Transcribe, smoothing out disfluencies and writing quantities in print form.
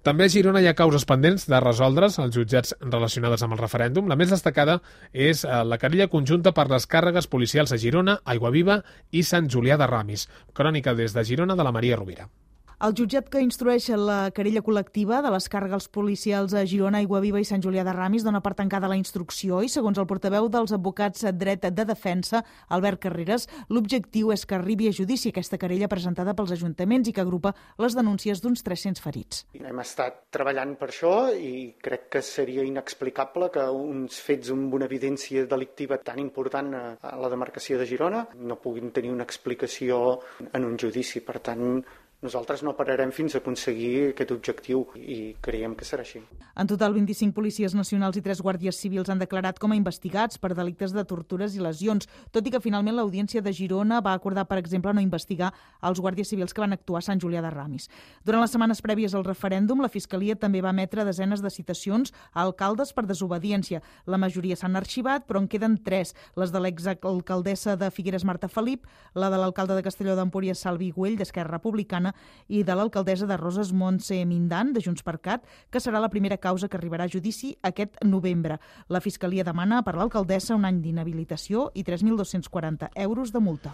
També a Girona hi ha causes pendents de resoldre's als jutjats relacionades amb el referèndum. La més destacada és la querella conjunta per les càrregues policials a Girona, Aiguaviva i Sant Julià de Ramis. Crònica des de Girona de la Maria Rovira. El jutjat que instrueix la querella col·lectiva de les càrregues policials a Girona, Aiguaviva i Sant Julià de Ramis dona per tancada la instrucció i, segons el portaveu dels advocats dret de defensa, Albert Carreras, l'objectiu és que arribi a judici aquesta querella presentada pels ajuntaments i que agrupa les denúncies d'uns 300 ferits. Hem estat treballant per això i crec que seria inexplicable que uns fets amb una evidència delictiva tan important a la demarcació de Girona no puguin tenir una explicació en un judici. Per tant, nosaltres no pararem fins a aconseguir aquest objectiu i creiem que serà així. En total, 25 policies nacionals i 3 guàrdies civils han declarat com a investigats per delictes de tortures i lesions, tot i que finalment l'Audiència de Girona va acordar, per exemple, no investigar els guàrdies civils que van actuar a Sant Julià de Ramis. Durant les setmanes prèvies al referèndum, la Fiscalia també va emetre desenes de citacions a alcaldes per desobediència. La majoria s'han arxivat, però en queden 3, les de l'exalcaldessa de Figueres, Marta Felip, la de l'alcalde de Castelló d'Empúries, Salvi Güell, d'Esquerra Republicana, i de l'alcaldessa de Roses, Montse Mindan, de Junts per Cat, que serà la primera causa que arribarà a judici aquest novembre. La Fiscalia demana per l'alcaldessa un any d'inhabilitació i 3.240 euros de multa.